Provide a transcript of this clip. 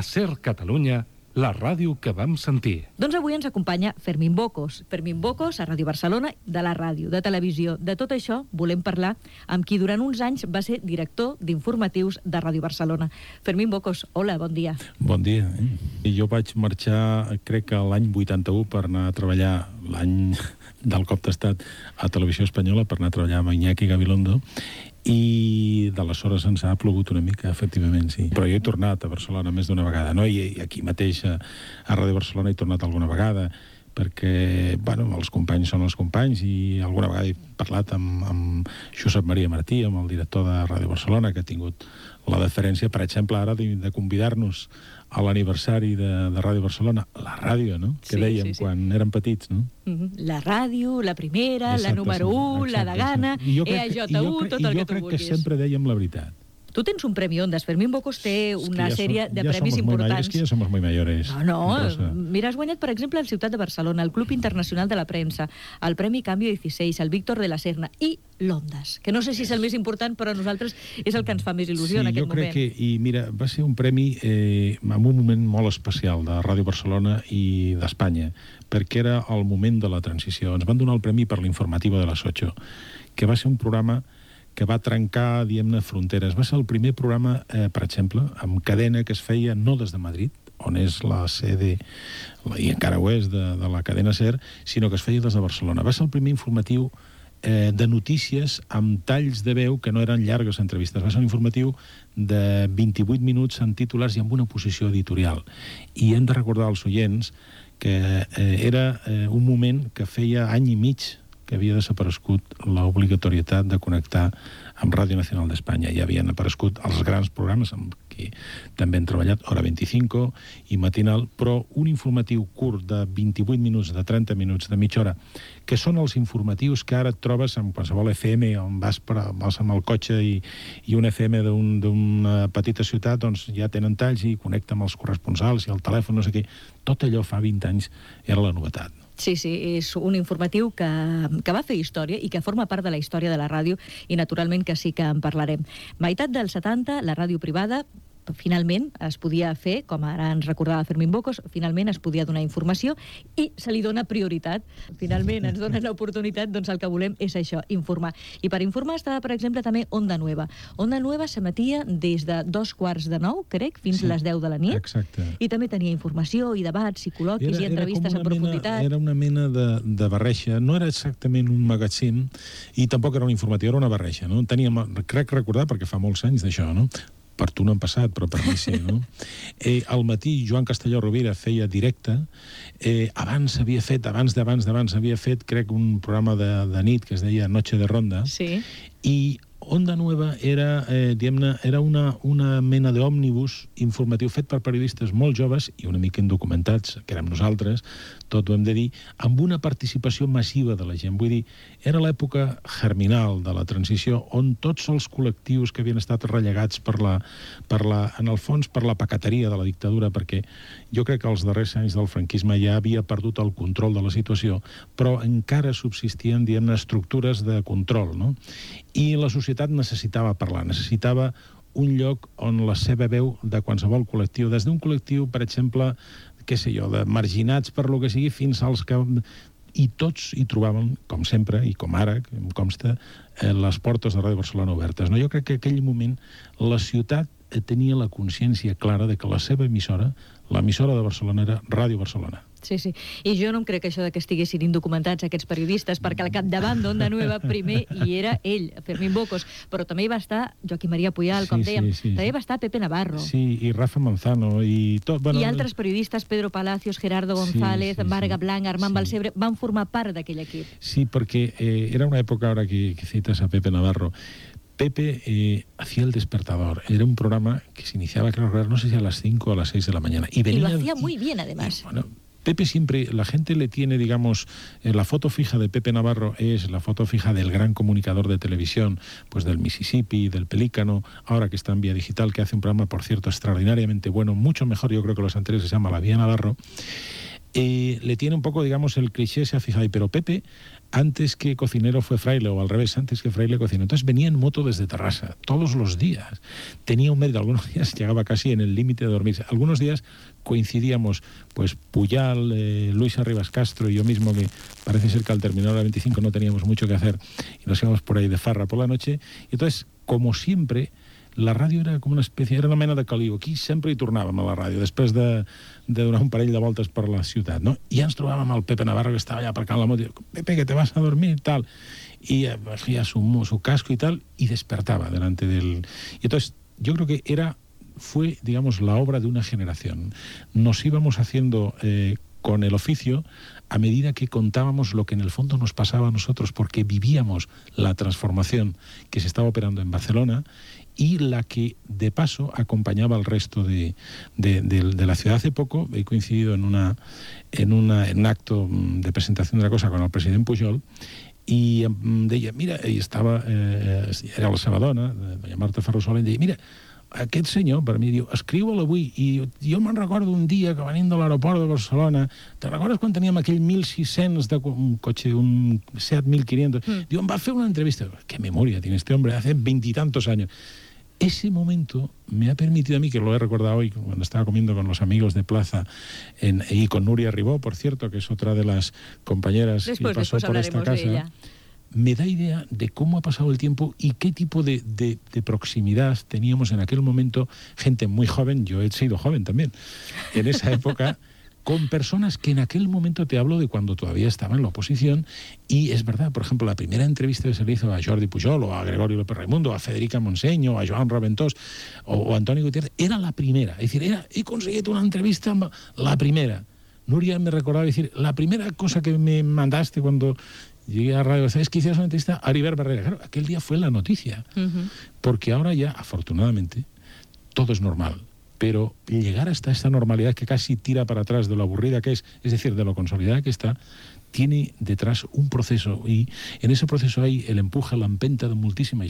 A Ser Catalunya, la ràdio que vam sentir. Doncs avui ens acompanya Fermín Bocos. Fermín Bocos, a Ràdio Barcelona, de la ràdio, de televisió. De tot això volem parlar amb qui durant uns anys va ser director d'informatius de Ràdio Barcelona. Fermín Bocos, hola, bon dia. Bon dia. Jo vaig marxar, crec que l'any 81, per anar a treballar, l'any del cop d'estat, a Televisió Espanyola, per anar a treballar amb Iñaki Gabilondo, i d'aleshores ens ha plogut una mica, efectivament, sí. Però jo he tornat a Barcelona més d'una vegada, no? I aquí mateix a Ràdio Barcelona he tornat alguna vegada, perquè, bueno, els companys són els companys, i alguna vegada he parlat amb Josep Maria Martí, amb el director de Ràdio Barcelona, que ha tingut la deferència, per exemple, ara de convidar-nos a l'aniversari de Ràdio Barcelona, la ràdio, no?, que dèiem quan érem petits, no? La ràdio, la primera, la número 1, la Degana, EAJ1, tot el que tu vulguis. I jo crec que sempre dèiem la veritat. Tu tens un Premi Ondas. Fermín Bocos té una sèrie de premis importants. És que ja som muy mayores. No. Mira, has guanyat, per exemple, el Ciutat de Barcelona, el Club Internacional de la Premsa, el Premi Cambio 16, el Víctor de la Serna i l'Ondas, que no sé si és el més important, però a nosaltres és el que ens fa més il·lusió en aquest moment. Sí, jo crec que, i mira, va ser un premi en un moment molt especial de Ràdio Barcelona i d'Espanya, perquè era el moment de la transició. Ens van donar el premi per l'informativa de les 8, que va ser un programa que va trencar, diguem-ne, fronteres. Va ser el primer programa, per exemple, amb cadena que es feia no des de Madrid, on és la sede, i encara ho és, de la cadena SER, sinó que es feia des de Barcelona. Va ser el primer informatiu de notícies amb talls de veu que no eren llargues entrevistes. Va ser un informatiu de 28 minuts en titulars i amb una posició editorial. I hem de recordar als oients que era un moment que feia any i mig que havia desaparegut l'obligatorietat de connectar amb Ràdio Nacional d'Espanya. Ja havien aparegut els grans programes amb qui també hem treballat, Hora 25 i Matinal, però un informatiu curt de 28 minuts, de 30 minuts, de mitja hora, que són els informatius que ara et trobes en qualsevol FM, on vas amb el cotxe i un FM d'una petita ciutat, doncs ja tenen talls i connecta amb els corresponsals i el telèfon, no sé què. Tot allò fa 20 anys era la novetat. Sí, és un informatiu que va fer història i que forma part de la història de la ràdio i naturalment que sí que en parlarem. Meitat dels 70, la ràdio privada finalment es podia fer, com ara ens recordava Fermín Bocos, finalment es podia donar informació i se li dona prioritat. Finalment ens donen l'oportunitat, doncs el que volem és això, informar. I per informar estava, per exemple, també Onda Nueva. Onda Nueva s'emetia des de 8:45, crec, fins a les 10 de la nit. Exacte. I també tenia informació i debats i col·loquis i entrevistes en profunditat. Era una mena de barreja. No era exactament un magazín i tampoc era un informatiu, era una barreja, no? Crec recordar, perquè fa molts anys d'això, no? Per tu no han passat, però per mi sí, no? Al matí, Joan Castelló Rovira feia directe. Abans havia fet, crec, un programa de nit que es deia Noche de Ronda. Sí. I Onda Nueva era, diguem-ne, era una mena d'òmnibus informatiu fet per periodistes molt joves i una mica indocumentats, que érem nosaltres, tot ho hem de dir, amb una participació massiva de la gent. Vull dir, era l'època germinal de la transició, on tots els col·lectius que havien estat rellegats en el fons per la pacateria de la dictadura, perquè jo crec que els darrers anys del franquisme ja havia perdut el control de la situació, però encara subsistien, diguem-ne, estructures de control, no? I la societat necessitava parlar, necessitava un lloc on la seva veu de qualsevol col·lectiu, des d'un col·lectiu, per exemple, què sé jo, de marginats per lo que sigui, fins als que... I tots hi trobaven, com sempre, i com ara, em consta, les portes de Ràdio Barcelona obertes. Jo crec que en aquell moment la ciutat tenia la consciència clara de que la seva emissora, l'emissora de Barcelona, era Ràdio Barcelona. Sí. I jo no em crec això de que estiguessin indocumentats aquests periodistes, perquè al capdavant d'Onda Nueva primer hi era ell, Fermín Bocos, però també hi va estar Joaquim Maria Puyal, com dèiem, també hi va estar Pepe Navarro. Sí, i Rafa Manzano, i tot... I altres periodistes, Pedro Palacios, Gerardo González, Marga Blanc, Armand Balsebre, van formar part d'aquell equip. Sí, perquè era una època, ara que cites a Pepe Navarro, Pepe hacía El Despertador. Era un programa que se iniciaba, creo, no sé si a las 5 o a las 6 de la mañana. Y lo hacía muy bien, además. Bueno, Pepe siempre, la gente le tiene, digamos, la foto fija de Pepe Navarro es la foto fija del gran comunicador de televisión, pues del Mississippi, del Pelícano, ahora que está en Vía Digital, que hace un programa, por cierto, extraordinariamente bueno, mucho mejor, yo creo que los anteriores, se llama La Vía Navarro. le tiene un poco, digamos, el cliché, se ha fijado ahí, pero Pepe, antes que cocinero fue fraile, o al revés, antes que fraile cocinero. Entonces venía en moto desde Terrassa, todos los días. Tenía un mérito, algunos días llegaba casi en el límite de dormirse. Algunos días coincidíamos, pues Puyal, Luis Arribas Castro y yo mismo, que parece ser que al terminar la 25 no teníamos mucho que hacer y nos íbamos por ahí de farra por la noche. Y entonces, como siempre, la ràdio era com una espècie, era una mena de caliu. Aquí sempre hi tornàvem a la ràdio, després de donar un parell de voltes per la ciutat, no? I ja ens trobàvem al Pepe Navarro, que estava allà aparcant la moto, i diu, Pepe, que te vas a dormir, tal. Y hacía su casco y tal, y despertaba delante del... Y entonces, yo creo que fue, digamos, la obra de una generación. Nos íbamos haciendo con el oficio a medida que contábamos lo que en el fondo nos pasaba a nosotros, porque vivíamos la transformación que se estaba operando en Barcelona y la que, de paso, acompañaba al resto de la ciudad. Hace poco he coincidido en un acto de presentación de la cosa con el president Pujol, i em deia, mira, i estava, era la seva dona, doña Marta Ferrusola, i em deia, mira, aquest senyor, per mi, diu, escriu-lo avui, i jo me'n recordo un dia que venint de l'aeroport de Barcelona, te recordes quan teníem aquell 1600 de un cotxe, un Seat 1500? Diu, em va fer una entrevista. ¿Qué memoria tiene este hombre? Hace 20 y tantos años. Ese momento me ha permitido a mí, que lo he recordado hoy cuando estaba comiendo con los amigos de Plaza y con Nuria Ribó, por cierto, que es otra de las compañeras que pasó por esta casa, me da idea de cómo ha pasado el tiempo y qué tipo de proximidad teníamos en aquel momento, gente muy joven, yo he sido joven también, en esa época, con personas que en aquel momento, te hablo de cuando todavía estaba en la oposición, y es verdad, por ejemplo, la primera entrevista que se le hizo a Jordi Pujol, o a Gregorio López Raimundo, a Federica Montseny, a Joan Raventós, o a Antoni Gutiérrez, era la primera. Es decir, he conseguido una entrevista, la primera. Nuria me recordaba decir, la primera cosa que me mandaste cuando llegué a Radio es que hicieras una entrevista a Heribert Barrera. Claro, aquel día fue la noticia. Porque ahora ya, afortunadamente, todo es normal. Pero llegar hasta esta normalidad que casi tira para atrás de lo aburrida que es decir, de lo consolidada que está, tiene detrás un proceso, y en ese proceso hay el empuje, la empenta de moltíssima gent.